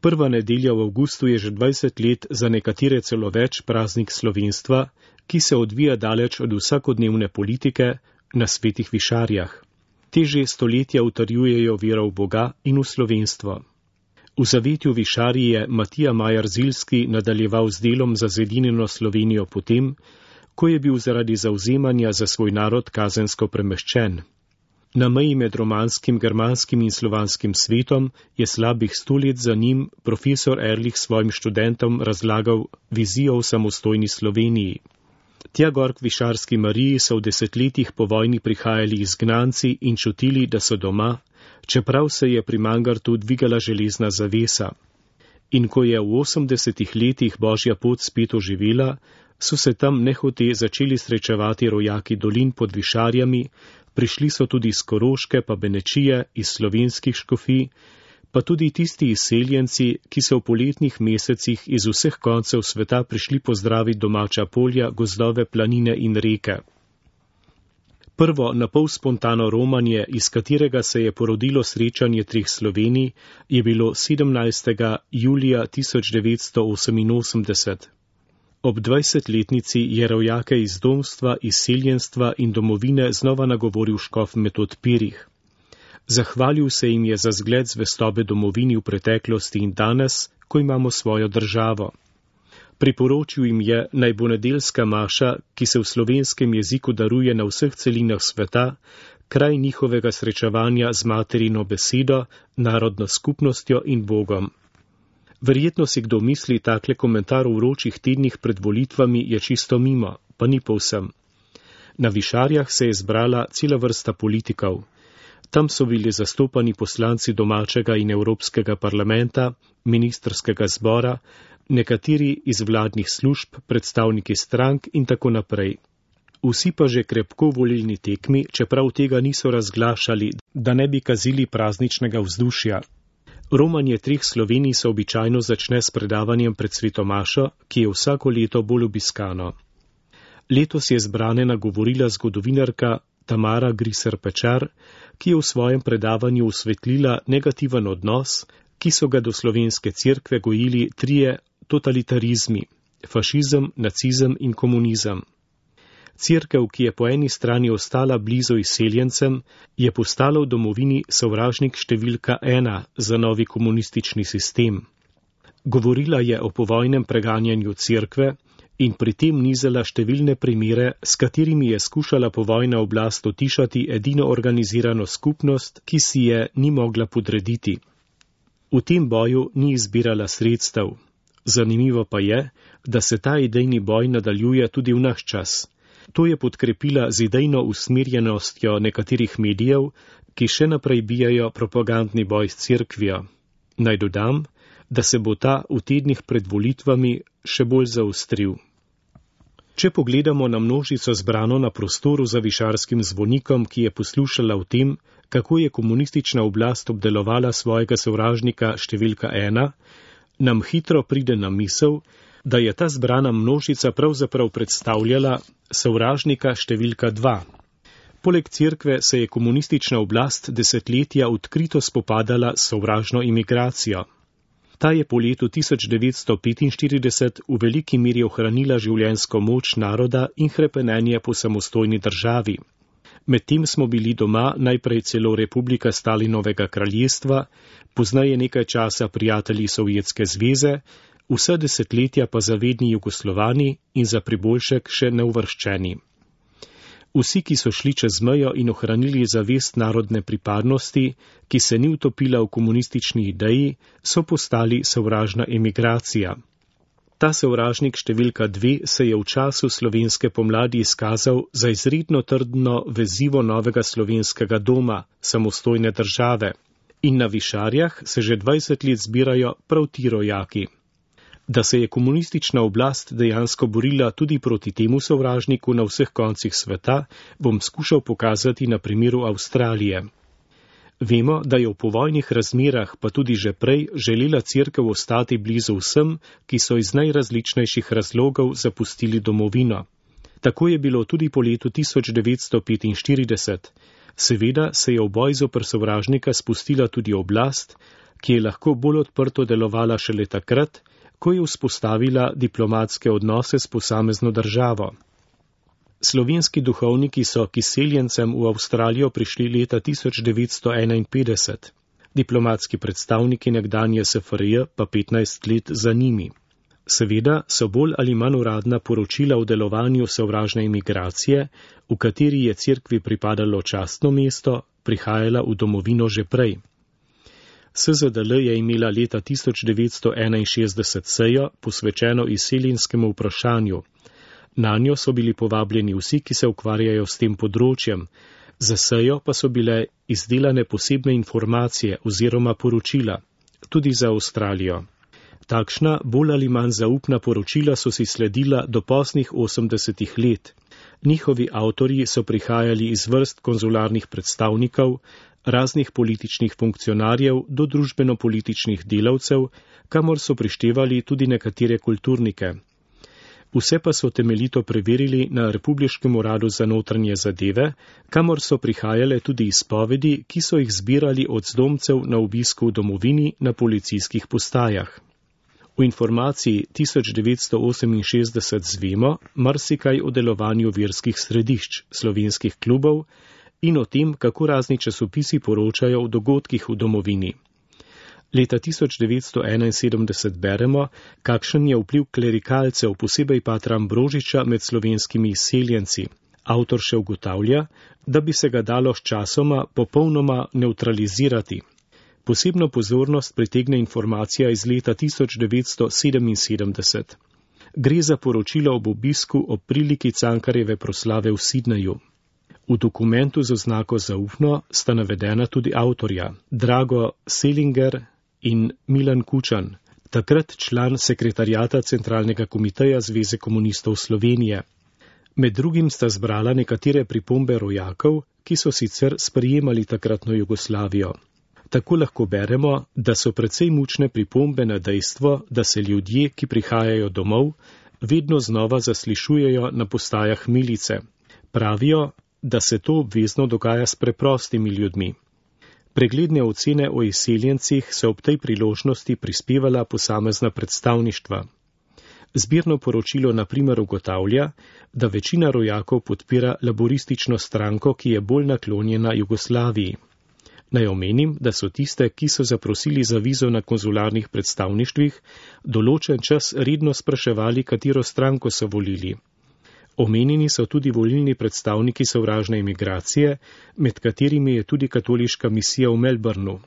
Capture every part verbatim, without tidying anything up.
Prva nedelja v avgustu je že dvajset let, za nekatere celo več, praznik slovenstva, ki se odvija daleč od vsakodnevne politike na svetih višarjah. Te že stoletja utrjujejo vero v Boga in v slovenstvo. V zavetju višarji je Matija Majar Zilski nadaljeval z delom za zedinjeno Slovenijo potem, ko je bil zaradi zavzemanja za svoj narod kazensko premeščen. Na meji med romanskim, germanskim in slovanskim svetom je slabih sto let za njim profesor Erlich svojim študentom razlagal vizijo v samostojni Sloveniji. Tja gor k višarski Mariji so v desetletjih po vojni prihajali izgnanci in čutili, da so doma, čeprav se je pri Mangartu dvigala železna zavesa. In ko je v osemdesetih letih Božja pot spet oživela, so se tam nehote začeli srečevati rojaki dolin pod višarjami, prišli so tudi iz Koroške pa Benečije, iz slovenskih škofij, pa tudi tisti izseljenci, ki so v poletnih mesecih iz vseh koncev sveta prišli pozdraviti domača polja, gozdove, planine in reke. Prvo napol spontano romanje, iz katerega se je porodilo srečanje treh Slovenij, je bilo sedemnajstega julija tisoč devetsto oseminosemdeset. Ob dvajsetletnici je rojake iz domstva, izseljenstva in domovine znova nagovoril škof Metod Pirih. Zahvalil se jim je za zgled zvestobe domovini v preteklosti in danes, ko imamo svojo državo. Priporočil jim je, naj bo nedeljska maša, ki se v slovenskem jeziku daruje na vseh celinah sveta, kraj njihovega srečevanja z materino besedo, narodno skupnostjo in Bogom. Verjetno si kdo misli, takle komentar v vročih tednih pred volitvami je čisto mimo, pa ni povsem. Na višarjah se je zbrala cela vrsta politikov. Tam so bili zastopani poslanci domačega in evropskega parlamenta, ministrskega zbora, nekateri iz vladnih služb, predstavniki strank in tako naprej. Vsi pa že krepko v volilni tekmi, čeprav tega niso razglašali, da ne bi kazili prazničnega vzdušja. Romanje treh Slovenij se običajno začne s predavanjem pred svetomašo, ki je vsako leto bolj obiskano. Letos je zbrane nagovorila zgodovinarka Tamara Griser Pečar, ki je v svojem predavanju osvetlila negativen odnos, ki so ga do slovenske cerkve gojili trije totalitarizmi: fašizem, nacizem in komunizem. Cerkev, ki je po eni strani ostala blizu izseljencem, je postala v domovini sovražnik številka ena za novi komunistični sistem. Govorila je o povojnem preganjanju cerkve in pri tem nizala številne primere, s katerimi je skušala povojna oblast utišati edino organizirano skupnost, ki si je ni mogla podrediti. V tem boju ni izbirala sredstev. Zanimivo pa je, da se ta idejni boj nadaljuje tudi v naš čas. To je podkrepila z idejno usmerjenostjo nekaterih medijev, ki še naprej bijajo propagandni boj s cerkvijo. Naj dodam, da se bo ta v tednih pred volitvami še bolj zaostril. Če pogledamo na množico zbrano na prostoru za višarskim zvonikom, ki je poslušala o tem, kako je komunistična oblast obdelovala svojega sovražnika številka ena, nam hitro pride na misel, da je ta zbrana množica pravzaprav predstavljala sovražnika številka dva. Poleg cerkve se je komunistična oblast desetletja odkrito spopadala s sovražno imigracijo. Ta je po letu tisoč devetsto petinštirideset v veliki meri ohranila življenjsko moč naroda in hrepenenje po samostojni državi. Medtem smo bili doma najprej celo Republika Stalinovega kraljestva, poznaje nekaj časa prijatelji Sovjetske zveze, vsa desetletja pa zavedni Jugoslovani in za priboljšek še neuvrščeni. Vsi, ki so šli čez mejo in ohranili zavest narodne pripadnosti, ki se ni utopila v komunistični ideji, so postali sovražna emigracija. Ta sovražnik številka dve se je v času slovenske pomladi izkazal za izredno trdno vezivo novega slovenskega doma, samostojne države. In na višarjah se že dvajset let zbirajo prav ti rojaki. Da se je komunistična oblast dejansko borila tudi proti temu sovražniku na vseh koncih sveta, bom skušal pokazati na primeru Avstralije. Vemo, da je v povojnih razmerah, pa tudi že prej, želela cerkev ostati blizu vsem, ki so iz najrazličnejših razlogov zapustili domovino. Tako je bilo tudi po letu tisoč devetsto petinštirideset. Seveda se je v boj zoper sovražnika spustila tudi oblast, ki je lahko bolj odprto delovala šele takrat, ko je vzpostavila diplomatske odnose s posamezno državo. Slovenski duhovniki so k izseljencem v Avstralijo prišli leta tisoč devetsto enainpetdeset, diplomatski predstavniki nekdanje S F R J pa petnajst let za njimi. Seveda so bolj ali manj uradna poročila o delovanju sovražne imigracije, v kateri je cerkvi pripadalo častno mesto, prihajala v domovino že prej. S Z D L je imela leta tisoč devetsto enainšestdeset sejo posvečeno izseljenskemu vprašanju. Nanjo so bili povabljeni vsi, ki se ukvarjajo s tem področjem, za sejo pa so bile izdelane posebne informacije oziroma poročila, tudi za Avstralijo. Takšna bolj ali manj zaupna poročila so si sledila do poznih osemdesetih let. Njihovi avtorji so prihajali iz vrst konzularnih predstavnikov, raznih političnih funkcionarjev do družbeno-političnih delavcev, kamor so prištevali tudi nekatere kulturnike. Vse pa so temeljito preverili na Republiškem uradu za notranje zadeve, kamor so prihajale tudi izpovedi, ki so jih zbirali od zdomcev na obisku v domovini na policijskih postajah. V informaciji tisoč devetsto oseminšestdeset zvemo marsikaj o delovanju verskih središč, slovenskih klubov in o tem, kako razni časopisi poročajo o dogodkih v domovini. Leta tisoč devetsto enainsedemdeset beremo, kakšen je vpliv klerikalcev, posebej patra Ambrožiča, med slovenskimi izseljenci. Avtor še ugotavlja, da bi se ga dalo s časoma popolnoma nevtralizirati. Posebno pozornost pritegne informacija iz leta tisoč devetsto sedeminsedemdeset. Gre za poročilo ob obisku ob priliki Cankarjeve proslave v Sidneju. V dokumentu z oznako zaupno sta navedena tudi avtorja, Drago Selinger in Milan Kučan, takrat član sekretarjata Centralnega komiteja Zveze komunistov Slovenije. Med drugim sta zbrala nekatere pripombe rojakov, ki so sicer sprejemali takratno Jugoslavijo. Tako lahko beremo, da so precej mučne pripombe na dejstvo, da se ljudje, ki prihajajo domov, vedno znova zaslišujejo na postajah milice. Pravijo, da se to obvezno dogaja s preprostimi ljudmi. Pregledne ocene o izseljencih so ob tej priložnosti prispevala posamezna predstavništva. Zbirno poročilo na primer ugotavlja, da večina rojakov podpira laboristično stranko, ki je bolj naklonjena Jugoslaviji. Naj omenim, da so tiste, ki so zaprosili za vizo na konzularnih predstavništvih, določen čas redno spraševali, katero stranko so volili. Omenjeni so tudi volilni predstavniki sovražne imigracije, med katerimi je tudi katoliška misija v Melbourneu.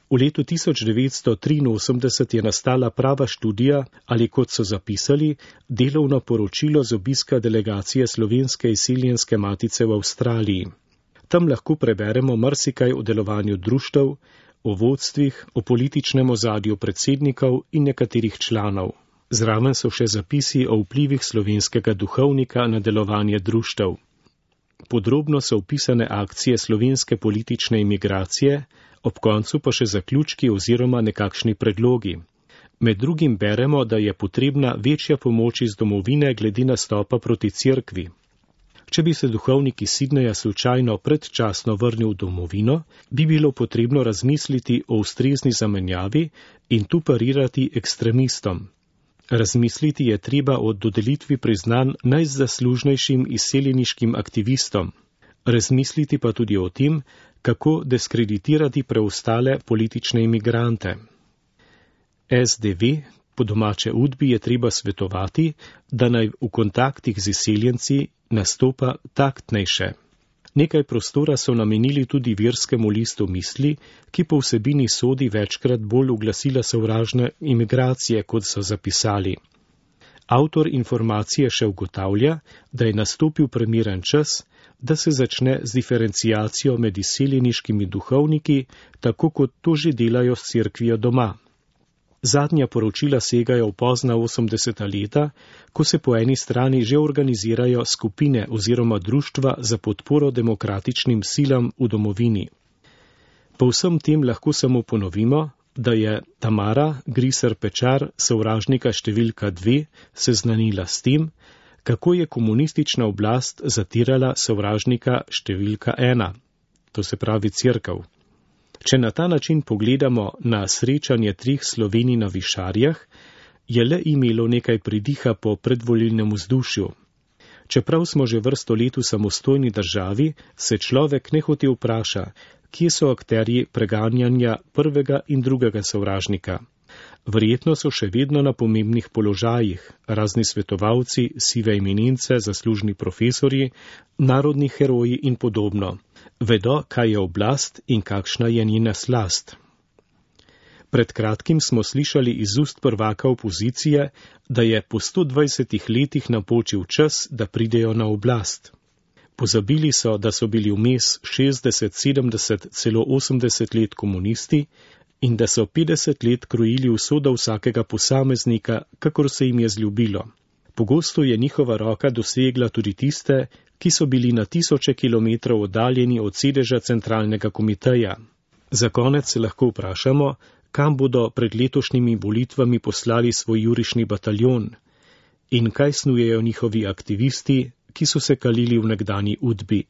V letu tisoč devetsto triinosemdeset je nastala prava študija ali, kot so zapisali, delovno poročilo z obiska delegacije Slovenske izseljenske matice v Avstraliji. Tam lahko preberemo marsikaj o delovanju društev, o vodstvih, o političnem ozadju predsednikov in nekaterih članov. Zraven so še zapisi o vplivih slovenskega duhovnika na delovanje društev. Podrobno so opisane akcije slovenske politične imigracije, ob koncu pa še zaključki oziroma nekakšni predlogi. Med drugim beremo, da je potrebna večja pomoč iz domovine glede nastopa proti cerkvi. Če bi se duhovnik iz Sidneja slučajno predčasno vrnil v domovino, bi bilo potrebno razmisliti o ustrezni zamenjavi in tu parirati ekstremistom. Razmisliti je treba o dodelitvi priznanj najzaslužnejšim izseljeniškim aktivistom. Razmisliti pa tudi o tem, kako deskreditirati preostale politične imigrante. S D V, po domače Udbi, je treba svetovati, da naj v kontaktih z izseljenci nastopa taktnejše. Nekaj prostora so namenili tudi verskemu listu Misli, ki po vsebini sodi večkrat bolj v glasila sovražne imigracije, kot so zapisali. Avtor informacije še ugotavlja, da je nastopil primeren čas, da se začne z diferenciacijo med izseljeniškimi duhovniki, tako kot to že delajo s cerkvijo doma. Zadnja poročila segajo v pozna osemdeseta leta, ko se po eni strani že organizirajo skupine oziroma društva za podporo demokratičnim silam v domovini. Po vsem tem lahko samo ponovimo, da je Tamara Griser Pečar, sovražnika številka dve, seznanila s tem, kako je komunistična oblast zatirala sovražnika številka ena, to se pravi cerkev. Če na ta način pogledamo na srečanje treh Slovenij na Višarjah, je le imelo nekaj pridiha po predvolilnem vzdušju. Čeprav smo že vrsto let v samostojni državi, se človek nehote vpraša, kje so akterji preganjanja prvega in drugega sovražnika. Verjetno so še vedno na pomembnih položajih, razni svetovalci, sive eminence, zaslužni profesorji, narodni heroji in podobno. Vedo, kaj je oblast in kakšna je njena slast. Pred kratkim smo slišali iz ust prvaka opozicije, da je po sto dvajsetih letih napočil čas, da pridejo na oblast. Pozabili so, da so bili vmes šestdeset, sedemdeset, celo osemdeset let komunisti in da so petdeset let krojili usodo vsakega posameznika, kakor se jim je zljubilo. Pogosto je njihova roka dosegla tudi tiste, ki so bili na tisoče kilometrov oddaljeni od sedeža centralnega komiteja. Za konec se lahko vprašamo, kam bodo pred letošnjimi volitvami poslali svoj jurišni bataljon in kaj snujejo njihovi aktivisti, ki so se kalili v nekdanji Udbi.